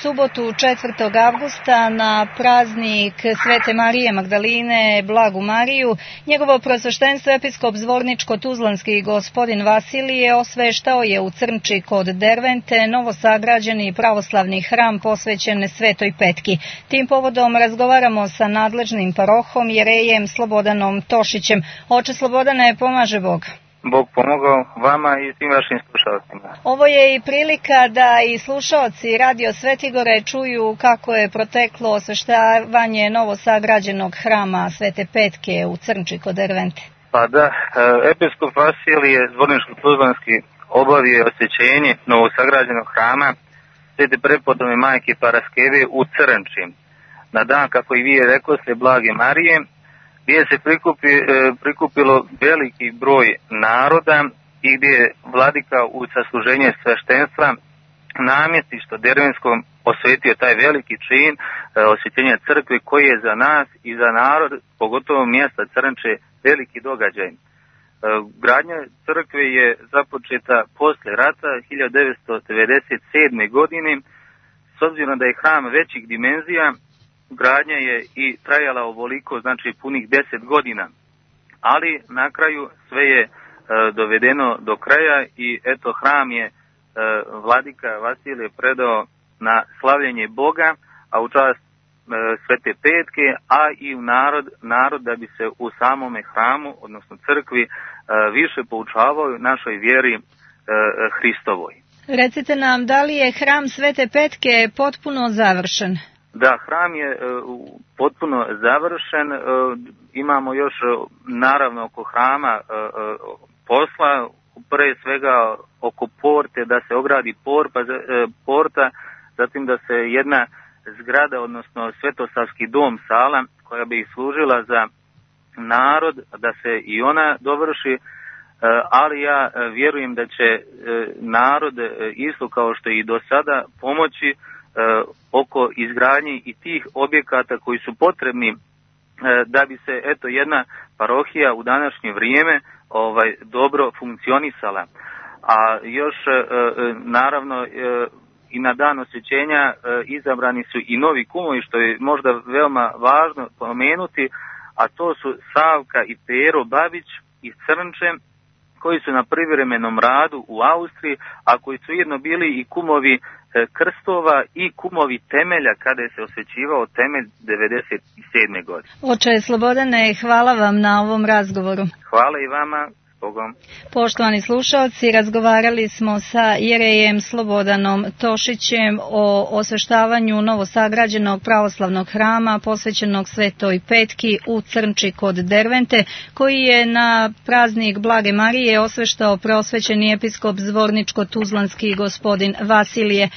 subotu 4. avgusta na praznik Svete Marije Magdaline, Blagu Mariju, njegovo prosveštenstvo episkop Zvorničko-Tuzlanski gospodin Vasilije osveštao je u Crnči kod Dervente novosagrađeni pravoslavni hram posvećen Svetoj Petki. Tim povodom razgovaramo sa nadležnim parohom jerejem Slobodanom Tošićem. Oče Slobodane, pomaže Bog. Bog pomogao vama i svim vašim slušalcima. Ovo je i prilika da i slušalci Radio Svetigore čuju kako je proteklo osveštavanje novosagrađenog hrama Svete Petke u Crnči kod Dervente. Pa da, episkop Vasilije Zvorničko-Tuzlanski obavio osvećenje novosagrađenog hrama Svete prepodobne majke Paraskeve u Crnči. Na dan, kako i vi je rekao, Blage Marije, gdje se prikupilo veliki broj naroda i gdje je vladika u sasluženje sveštenstva namjestištu Dervenskom osvetio taj veliki čin osvećenja crkve koji je za nas i za narod, pogotovo mjesta Crnče, veliki događaj. Gradnja crkve je započeta posle rata 1997. godine. S obzirom da je hram većih dimenzija, gradnja je i trajala ovoliko, znači punih 10 godina, ali na kraju sve je dovedeno do kraja i eto hram je vladika Vasilije predao na slavljenje Boga, a u čast Svete Petke, a i u narod da bi se u samome hramu, odnosno crkvi, više poučavao našoj vjeri Hristovoj. Recite nam, da li je hram Svete Petke potpuno završen? Da, hram je potpuno završen, imamo još naravno oko hrama posla, pre svega oko porte, da se ogradi porta, zatim da se jedna zgrada, odnosno Svetosavski dom, sala, koja bi služila za narod, da se i ona dovrši, ali ja vjerujem da će narod isto kao što i do sada pomoći oko izgradnje i tih objekata koji su potrebni da bi se eto jedna parohija u današnje vrijeme dobro funkcionisala. A još naravno i na dan osvećenja izabrani su i novi kumovi, što je možda veoma važno pomenuti, a to su Savka i Pero Babić iz Crnče, koji su na privremenom radu u Austriji, a koji su ujedno bili i kumovi krstova i kumovi temelja kada je se osvećivao temelj 1997. godine. Oče Slobodane, hvala vam na ovom razgovoru. Hvala i vama. Bogom. Poštovani slušalci, razgovarali smo sa jerejem Slobodanom Tošićem o osveštavanju novosagrađenog pravoslavnog hrama posvećenog Svetoj Petki u Crnči kod Dervente, koji je na praznik Blage Marije osveštao preosvećeni episkop Zvorničko-Tuzlanski gospodin Vasilije.